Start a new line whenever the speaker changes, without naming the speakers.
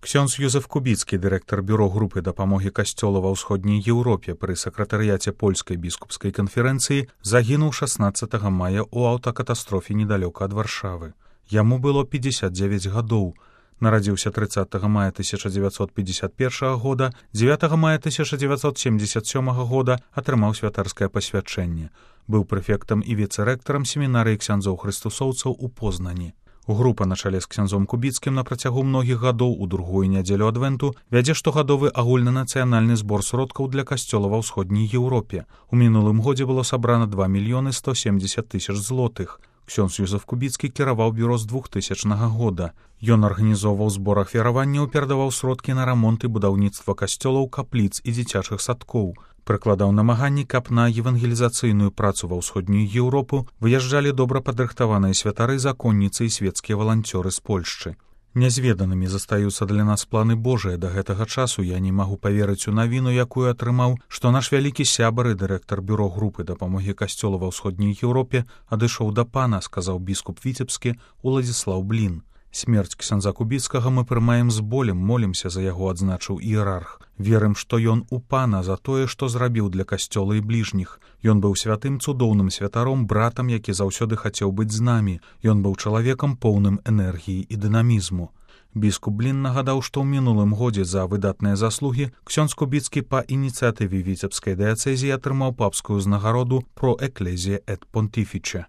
Ксёндз Юзеф Кубіцкі, дырэктар бюро групы дапамогі касцёла ва ўсходняй Еўропе пры сакратарыяце польскай біскупскай канферэнцыі, загінуў 16 мая ў аўтакатастрофе недалёка ад Варшавы. Яму было 59 гадоў. Нарадзіўся 30 мая 1951 года, 9 мая 1977 года атрымаў святарскае пасвячэнне. Быў прэфектам і віцэрэктарам семінарыі ксяндзоў хрыстусоўцаў у Познані. Група на чале з ксяндзом Кубіцкім на працягу многіх гадоў у другую нядзелю адвенту вядзе штогадовы агульнанацыянальны збор сродкаў для касцёла ва ўсходняй Еўропе. У мінулым годзе было сабрана 2 мільёны 170 тысяч злотых. Ксёндз Юзеф Кубіцкі кіраваў бюро з 2000 года. Ён арганізоўваў збор ахвяраванняў, перадаваў сродкі на рамонт і будаўніцтва касцёлаў, капліц і дзіцячых садкоў. Прыкладаў намаганні, каб на евангелізацыйную працу ва ўсходнюю Еўропу выязджалі добра падрыхтаваныя святары, законніцы і свецкія валанцёры з Польшчы. Нязведанымі застаюцца для нас планы Божыя. Да гэтага часу я не магу паверыць у навіну, якую атрымаў, што наш вялікі сябар і дырэктар бюро групы дапамогі касцёла ва ўсходняй Еўропе адышоў да пана, сказаў біскуп Віцебскі Уладзіслаў Блін. Смерць ксяндза Кубіцкага мы прымаем з болем, молімся за яго, адзначыў іерарх. Верым, што ён у пана за тое, што зрабіў для касцёла і бліжніх. Ён быў святым цудоўным святаром, братам, які заўсёды хацеў быць з намі. Ён быў чалавекам поўным энергіі і дынамізму. Біскуп Блін нагадаў, што ў мінулым годзе за выдатныя заслугі ксёндз Кубіцкі па ініцыятыве віцебскай дыяцэзіі атрымаў папскую ўзнагароду «Pro Ecclesia et Pontifice».